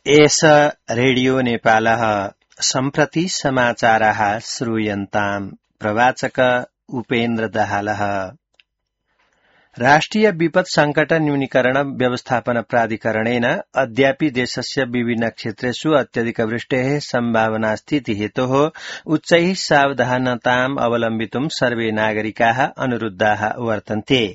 एष रेडियो नेपालः सम्प्रति समाचाराः श्रूयन्ताम्। प्रवाचक उपेन्द्र दाहालः। राष्ट्रिय विपद संकट न्यूनीकरण व्यवस्थापन प्राधिकरणेन अद्यापि देशस्य विभिन्न क्षेत्रेषु अत्यधिक वृष्टेः सम्भावना स्थिति हेतोः उच्चैः सावधानताम् अवलम्बितुं सर्वे नागरिकाः अनुरुद्धाः वर्तन्ते।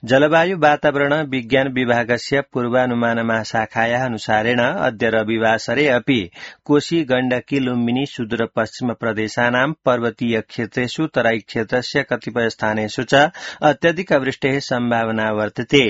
जलवायु वातावरण विज्ञान विभागस्य पूर्वानुमान महाशाखायाः अनुसारेण अद्य रविवासरे अपि कोशी गण्डकी लुम्बिनी सुदूरपश्चिम प्रदेशानां पर्वतीय क्षेत्रेषु तराई क्षेत्रस्य कतिपय स्थानेषु च अत्यधिक वृष्टेः सम्भावना वर्तते।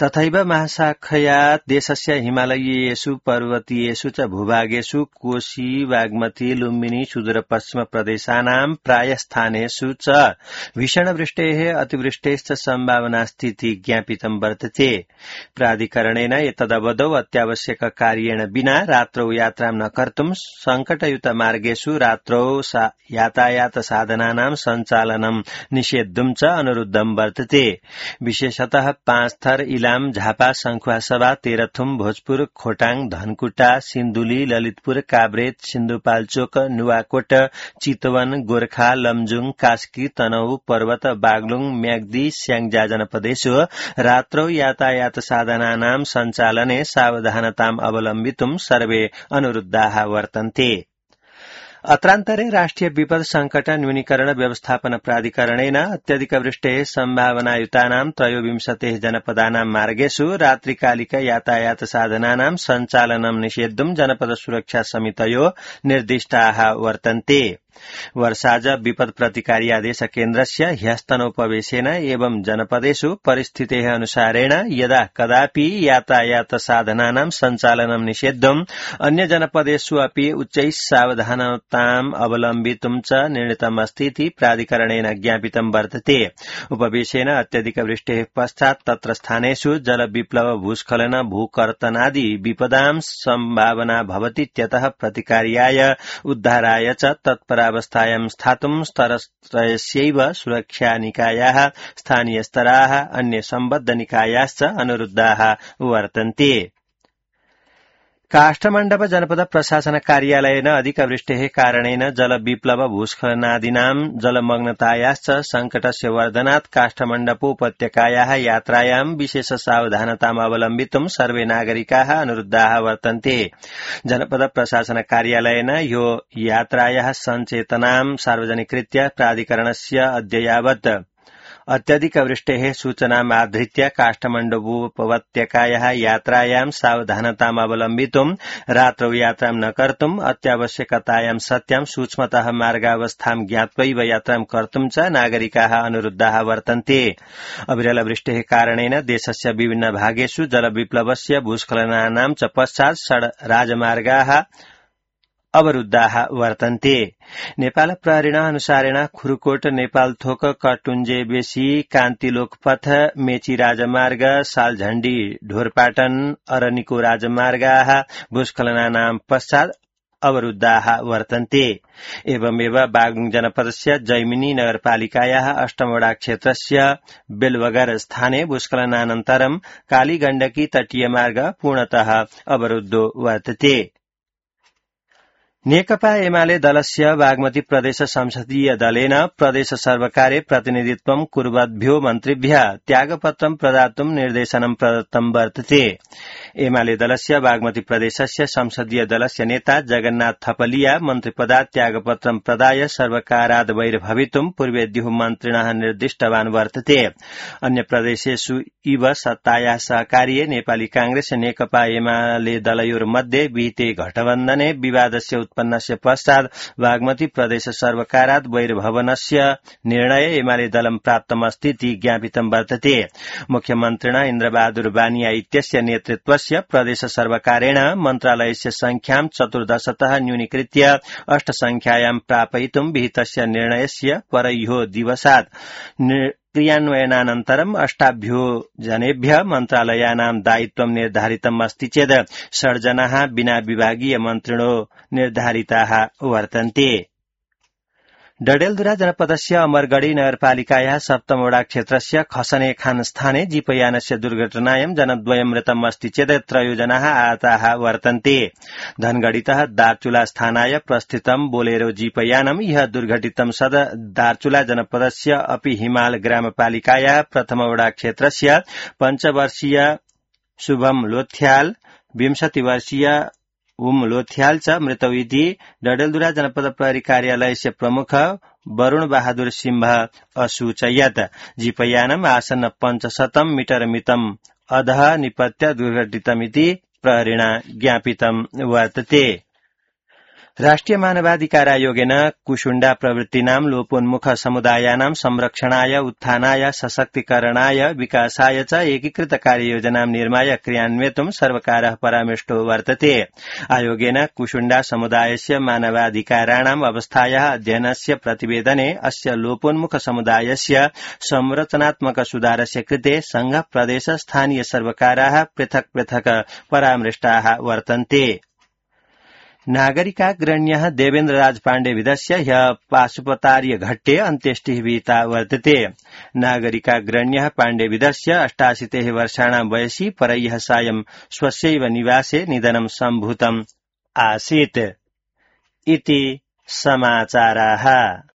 तथैव महाशाखया देशस्य हिमालयीयेषु पर्वतीयेषु च भूभागेषु कोशी बागमती लुम्बिनी सुदूरपश्चिम प्रदेशानां प्राय स्थानेषु च भीषण वृष्टेः अतिवृष्टेश्च सम्भावना स्थिति ज्ञापितं वर्तते। प्राधिकरणेन एतदवधौ अत्यावश्यक कार्येण विना रात्रौ यात्रां न कर्तुं संकटयुत मार्गेषु रात्रौ यातायात साधनानां सञ्चालनं निषेद्धुं च अनुरुद्धं वर्तते। विशेषतः 5 थर इलाम झापा संखुवासभा तेह्रथुम भोजपुर खोटाङ धनकुटा सिन्धुली ललितपुर काभ्रेट सिन्धुपाल्चोक नुवाकोट चितवन गोर्खा लमजुङ कास्की तनहु पर्वत बागलुङ म्याग्दी स्याङ्जा जनपदेषु रात्रौ यातायात साधनानां सञ्चालने सावधानताम् अवलम्बितुं सर्वे अनुरुद्धाः वर्तन्ते। अत्रान्तरे राष्ट्रिय विपद संकट न्यूनीकरण व्यवस्थापन प्राधिकरणेन अत्यधिक वृष्टेः सम्भावनायुतानां 23 जनपदानां मार्गेषु रात्रिकालिक यातायात साधनानां सञ्चालनं निषेद्धुं जनपद सुरक्षा समितयो निर्दिष्टाः वर्तन्ते। वर्षाज विपद प्रतिकारी आदेश केन्द्रस्य ह्यस्तनोपवेशेन एवं जनपदेषु परिस्थितेः अनुसारेण यदा कदापि यातायात साधनानां सञ्चालनं निषेद्धुम् अन्य जनपदेषु अपि उच्चैः सावधानताम् अवलम्बितुं च निर्णीतमस्ति इति प्राधिकरणेन ज्ञापितं वर्तते। उपवेशेन अत्यधिक वृष्टेः पश्चात् तत्र स्थानेषु जलविप्लव भूस्खलन भूकर्तनादि विपदां सम्भावना भवतीत्यतः प्रतिकार्याय उद्धाराय च तत्परावस्थायां स्थातुं स्तरत्रयस्यैव सुरक्षा निकायाः स्थानीयस्तराः अन्य सम्बद्ध निकायाश्च अनुरुद्धाः वर्तन्ते। काष्ठमण्डप जनपद प्रशासन कार्यालयेन अधिकवृष्टेः कारणेन जलविप्लव भूस्खलनादीनां जलमग्नतायाश्च संकटस्य वर्धनात् काष्ठमण्डप उपत्यकायाः यात्रायां विशेष सावधानताम् अवलम्बितुं सर्वे नागरिकाः अनुरुद्धाः वर्तन्ते। जनपद प्रशासन कार्यालयेन यो यात्रायाः सञ्चेतनां सार्वजनिकृत्य प्राधिकरणस्य अद्य यावत् अत्यधिक वृष्टेः सूचनाम् आधृत्य काष्ठमण्डपोपत्यकायाः यात्रायां सावधानताम् अवलम्बितुं रात्रौ यात्रां न कर्तुम् अत्यावश्यकतायां सत्यां सूक्ष्मतः मार्गावस्थां ज्ञात्वैव यात्रां कर्तुं च नागरिकाः अनुरुद्धाः वर्तन्ते। अविरल वृष्टेः कारणेन देशस्य विभिन्न भागेषु जलविप्लवस्य भूस्खलनानां च पश्चात् राजमार्गाः अवरुद्धाः वर्तन्ते। नेपाल प्रहरीणा अनुसारेण खुरुकोट नेपालथोक कटुञ्जे बेसी कान्तिलोकपथ मेची राजमार्ग सालझण्डी ढोरपाटन अरनिको राजमार्गाः भूस्खलनानां पश्चात् अवरुद्धाः वर्तन्ते। एवमेव बागलुङ जनपदस्य जैमिनी नगरपालिकायाः अष्टमवडा क्षेत्रस्य बेलबगर स्थाने भूस्खलनानन्तरं कालीगण्डकी तटीय मार्ग पूर्णतः अवरुद्धो वर्तते। नेकपा एमाले दलस्य बागमती प्रदेश संसदीय दलेन प्रदेश सर्वकारे प्रतिनिधित्वं कुर्वद्भ्यो मन्त्रिभ्यः त्यागपत्रं प्रदातुं निर्देशनं प्रदत्तं वर्तते। एमाले दलस्य बागमती प्रदेशस्य संसदीय दलस्य नेता जगन्नाथ थपलिया मन्त्रिपदात् त्यागपत्रं प्रदाय सर्वकाराद् बहिर्भवितुं पूर्वेद्युः मन्त्रिणः निर्दिष्टवान् वर्तते। अन्य प्रदेशेषु इव सत्तायाः सहकार्ये नेपाली कांग्रेस नेकपा एमाले दलयोर्मध्ये विहिते गठबन्धने विवादस्य उत्पन्नस्य पश्चात् बागमती प्रदेश सर्वकारात् बहिर्भवनस्य निर्णय एमाले दलं प्राप्तमस्ति इति ज्ञापितं वर्तते। मुख्यमन्त्रिणा इन्द्रबहादुर बानिया इत्यस्य नेतृत्वस्य प्रदेश सर्वकारेण मन्त्रालयस्य संख्यां 14तः न्यूनीकृत्य 8 संख्यायां प्रापयितुं विहितस्य निर्णयस्य परह्यो दिवसात् क्रियान्वयनानन्तरम् 8भ्यो जनेभ्यः मन्त्रालयानां दायित्वं निर्धारितम् अस्ति चेत् 6 जनाः विना विभागीय मन्त्रिणो निर्धारिताः वर्तन्ते। डडेलधुरा जनपदस्य अमरगढ़ी नगरपालिकायाः सप्तमवडा क्षेत्रस्य खसने खान स्थाने जीपयानस्य दुर्घटनायां जनद्वयं मृतम् अस्ति चेत् 3 जनाः आहताः वर्तन्ते। धनगढ़ीतः दार्चुला स्थानाय प्रस्थितं बोलेरो जीपयानं ह्यः दुर्घटितं सद दार्चुला जनपदस्य अपि हिमाल ग्रामपालिकायाः प्रथमवडा क्षेत्रस्य 5 वर्षीय शुभम लोथ्याल 20 वर्षीय उम लोथ्याल च मृतौ इति डडेलधुरा जनपद प्रहरी कार्यालयस्य प्रमुख वरुण बहादुर सिंह असूचयत्। जीपयानम् आसन्न 500 मीटर मितम् अधः निपत्य दुर्घटितमिति प्रहरिणा ज्ञापितं वर्तते। राष्ट्रिय मानवाधिकार आयोगेन कुशुण्डा प्रवृत्तीनां लोपोन्मुख समुदायानां संरक्षणाय उत्थानाय सशक्तीकरणाय विकासाय च एकीकृत कार्ययोजनां निर्माय क्रियान्वेतुं सर्वकारः परामृष्टो वर्तते। आयोगेन कुशुण्डा समुदायस्य मानवाधिकाराणाम् अवस्थायाः अध्ययनस्य प्रतिवेदने अस्य लोपोन्मुख समुदायस्य संरचनात्मक सुधारस्य कृते संघ प्रदेश स्थानीय सर्वकाराः पृथक् पृथक् परामृष्टाः वर्तन्ते। नागरिकाग्रण्यः देवेन्द्र राज पाण्डे विदस्य ह्यः पाशुपतार्य घट्टे अन्त्येष्टिः विहिता वर्तते। नागरिकाग्रण्यः पाण्डे विदस्य 88 वर्षाणां वयसि परह्यः सायं स्वस्यैव निवासे निधनं सम्भूतम् आसीत् इति समाचाराः।